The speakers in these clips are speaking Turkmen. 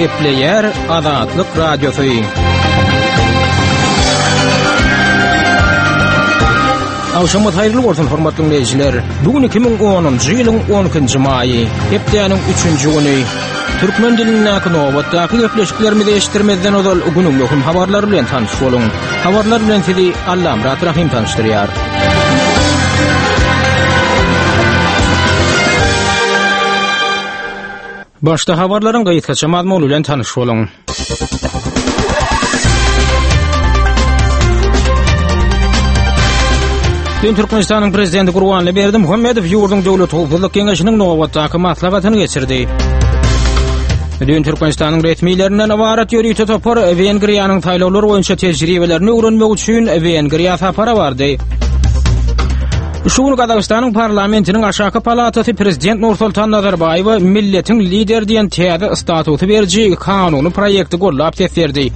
Gepleýär Azatlyk Radiosy. Agşamyňyz haýyrly bolsun, hormatly diňleýjiler. Bu gün 2010-njy ýylyň 12-nji maýy, hepdäniň 3-nji güni. Türkmen dilindäki nobatdaky gepleşiklerimizi eşitdirmezden ozal günüň möhüm habarlary bilen tanyş boluň. Habarlar bilen sizi Allamyrat Rahym tanyşdyrýar. Başda habarlaryň gysgaça mazmuny bilen tanyş boluň. Dün Türkmenistanyň Prezidenti Gurbanly Berdimuhamedow ýurduň Döwlet howpsuzlyk geňeşiniň nobatdaky maslahatyny geçirdi. Dün Türkmenistanyň resmilerinden ybarat ýörite topar Wengriýanyň saýlawlar boýunça tejribelerini öwrenmek üçin Wengriýa sapara bardy. Şu gün Gazagystanyň parlamentiniň aşaky palatasy prezident Nursultan Nazarbaýewe milletiň lideri diýen täze statusy beriji kanuny proýekti gollap ses berdi.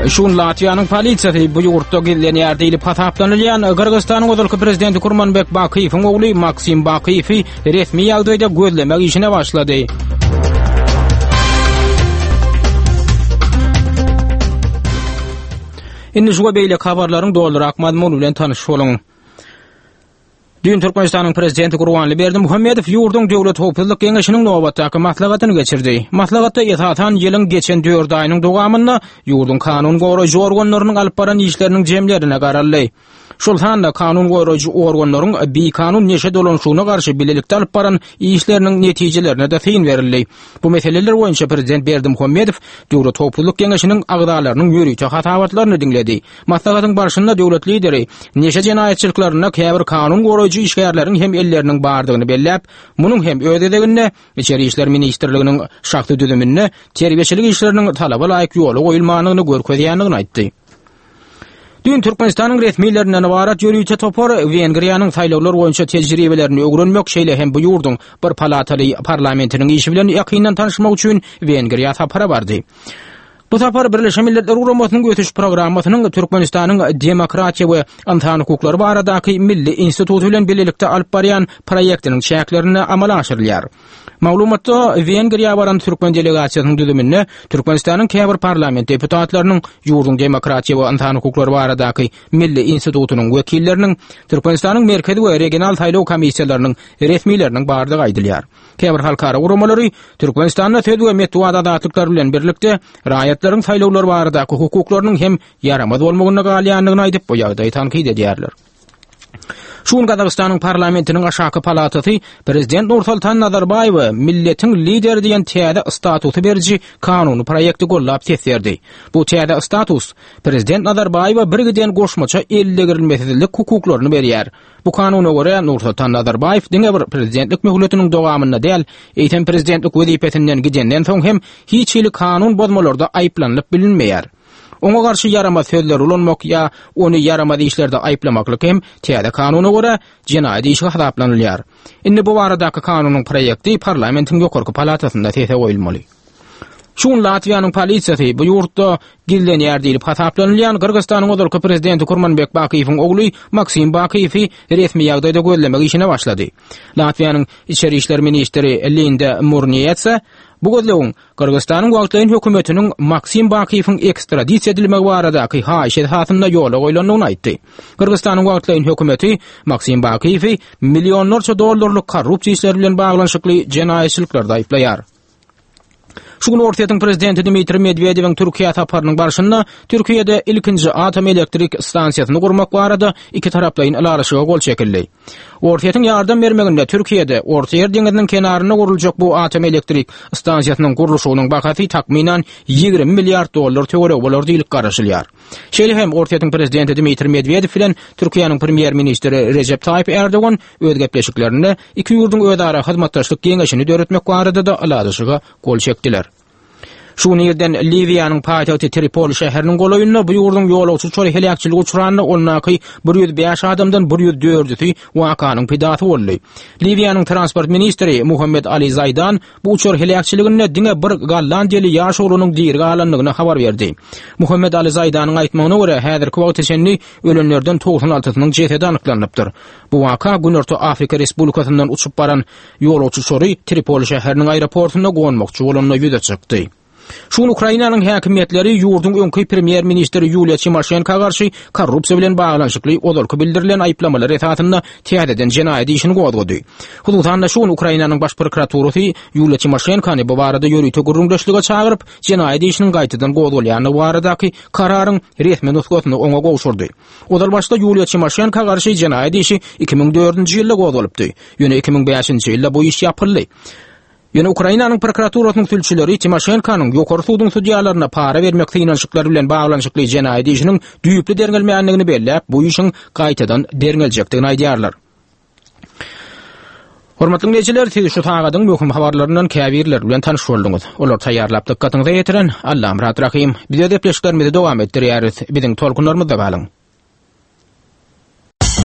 Şu gün Latwiýanyň polisiýasy bu ýurtda gizlenýär diýlip hasaplanylýan Gyrgyzystanyň ozalky prezidenti Kurmanbek Bakyýewiň ogly Maksim Bakyýewi resmi ýagdaýda gözlemek işine başlady. Indi şu we beýleki habarlaryň dolurak mazmuny bilen tanyş boluň. Düýn Türkmenistanyň Prezidenti Gurbanly Berdimuhamedow ýurduň Döwlet howpsuzlyk geňeşiniň nobatdaky maslahatyny geçirdi. Maslahatda esasan ýylyň geçen dört aýynyň dowamynda ýurduň kanun goraýjy organlarynyň alyp baran işleriniň jemlerine garaldy. Şol sanda kanun goraýjy organlaryň bikanun neşe dolanyşygyna garşy bilelikde alyp baran işleriniň netijelerine-de syn berildi. Bu meseleler boýunça prezident Berdimuhamedow Döwlet howpsuzlyk geňeşiniň agzalarynyň ýörite hasabatlaryny diňledi. Maslahatyň barşynda döwlet lideri neşe jenaýatçylyklarynda käbir kanun goraýjy işgärleriň hem elleriniň bardygyny belläp, munuň hem öz gezeginde Içeri işler ministrliginiň şahsy düzüminde terbiýeçilik işleriniň talaba laýyk ýola goýulmandygyny görkezýändigini aýtdy. Düýn Türkmenistanyň resmilerinden ybarat ýörite topar Wengriýanyň saýlawlar boýunça tejribelerini öwrenmek, şeýle hem bu ýurduň bir palataly parlamentiniň işi bilen ýakyndan tanyşmak üçin Wengriýa sapara bardy. Bu sapar Birleşen Milletler Guramasynyň Ösüş Programmasynyň Türkmenistanyň Demokratiýa we ynsan hukuklary baradaky milli instituty bilen bilelikde alyp barýan proýektiniň çäklerinde amala aşyrylýar. Maglumatda Wengriýa baran türkmen delegasiýasynyň düzüminde Türkmenistanyň käbir parlament deputatlarynyň, ýurduň Demokratiýa we ynsan hukuklary baradaky milli institutynyň wekilleriniň, Türkmenistanyň Merkezi we regional saýlaw komissiýalarynyň resmileriniň bardygy aýdylýar. Käbir halkara guramalary Türkmenistanda söz we metbugat azatlyklary bilen birlikde raýatlaryň saýlawlar baradaky hukuklarynyň hem ýaramaz bolmagynda galýandygyny aýdyp, bu ýagdaýy tankyt edýärler. Şu gün Gazagystanyň parlamentiniň aşaky palatasy prezident Nursultan Nazarbaýewe milletiň lideri diýen täze statusy beriji kanuny proýekti gollap ses berdi. Bu täze status prezident Nazarbaýewe birgiden goşmaça eldegrilmesizlik hukuklaryny berýär. Bu kanuna görä, Nursultan Nazarbaýew diňe bir prezidentlik möhletiniň dowamynda däl, eýsem prezidentlik wezipesinden gidenden soň hem hiç hili kanun bozmalarda aýyplanylyp bilinmeýär. Oňa garşy ýaramaz sözleri ulanmak ýa ony ýaramaz işlerde aýyplamaklyk hem täze kanuna görä, jenaýat işi hasaplanylýar. Indi bu baradaky kanunyň proýekti parlamentiň ýokarky palatasynda sese goýulmaly. Şu gün Latwiýanyň polisiýasy bu ýurtda gizlenýär diýlip hasaplanylýan Gyrgyzystanyň ozalky prezidenti Kurmanbek Bakyýewiň ogly Maksim Bakyýewi resmi ýagdaýda gözlemek işine başlady. Latwiýanyň içeri işler ministri Linda Murniýetsa bu gözlegiň Gyrgyzystanyň wagtlaýyn hökümetiniň Maksim Bakyýewiň ekstradisiýa edilmegi baradaky haýyşy esasynda ýola goýlandygyny aýtdy. Gyrgyzystanyň wagtlaýyn hökümeti Maksim Bakyýewi millionlarça dollarlyk korrupsiýa işleri bilen baglanyşykly jenaýatçylyklarda aýyplaýar. Şu gün Orsýetiň prezidenti Dmitriý Medwedewiň Türkiýä saparynyň barşynda Türkiýede ilkinji atom elektrik stansiýasyny gurmak barada ikitaraplaýyn ylalaşyga gol çekildi. Orsýetiň ýardam bermeginde Türkiýede Ortaýer deňiziniň kenarynda guruljak bu atom elektrik stansiýasynyň gurluşygynyň bahasy takmynan 20 milliard dollar töweregi bolar diýlip garaşylýar. Şeýle hem Orsýetiň prezidenti Dmitriý Medwedew bilen Türkiýäniň premýer-ministri Rejep Taýyp Ärdogan öz gepleşiklerinde iki ýurduň özara hyzmatdaşlyk geňeşini döretmek barada-da ylalaşyga gol çekdiler. Şu gün irden Liwiýanyň paýtagty Tripoli şäheriniň golaýynda bu ýurduň ýolagçy uçary heläkçilige uçranda ondaky 105 adamdan 104-üsi wakanyň pidasy boldy. Liwiýanyň transport ministri Muhammed Ali Zaýdan bu uçar heläkçiliginde diňe bir gollandiýaly ýaş oglanyň diri galandygyny habar berdi. Muhammed Ali Zaýdanyň aýtmagyna görä, häzirki wagta çenli ölenlerden 96-synyň jesedi anyklanypdyr. Bu waka Günorta Afrika Respublikasyndan uçup baran Ýolagçy uçary Tripoli şäheriniň aeroportunda gonmakçy bolanda ýüze çykdy. Şu gün Ukrainanyň häkimiýetleri ýurduň öňki premýer-ministri Ýuliýa Timoşenko garşy korrupsiýa bilen baglanyşykly ozalky bildirilen aýyplamalar esasynda täzeden jenaýat işini gozgady. Hususan-da, şu gün Ukrainanyň Baş prokuraturasy Ýuliýa Timoşenkony bu barada ýörite gürrüňdeşlige çagyryp, jenaýat işiniň gaýtadan gozgalýandygy baradaky kararyň resmi nusgasyny oňa gowşurdy. Ozal başda Ýuliýa Timoşenko garşy jenaýat işi 2004-nji ýylda gozgalypdy. Ýöne 2005-nji ýylda bu iş ýapyldy. Ýöne Ukrainanyň prokuraturasynyň sülçüleri Timoşenkonyň Ýokary suduň sudýalaryna para bermek synanyşyklary bilen baglanyşykly jenaýat işiniň düýpli derňelmändigini belläp, bu işiň gaýtadan derňeljekdigini aýdýarlar. Hormatly diňleýjiler, siz şu sagadyň möhüm habarlaryndan käbirleri bilen tanyş bolduňyz. Olary taýýarlap dykgatyňyza ýetiren Allamyrat Rahym. Biz öz gepleşiklerimizi dowam etdirýäris. Biziň tolkunlarymyzda galyň.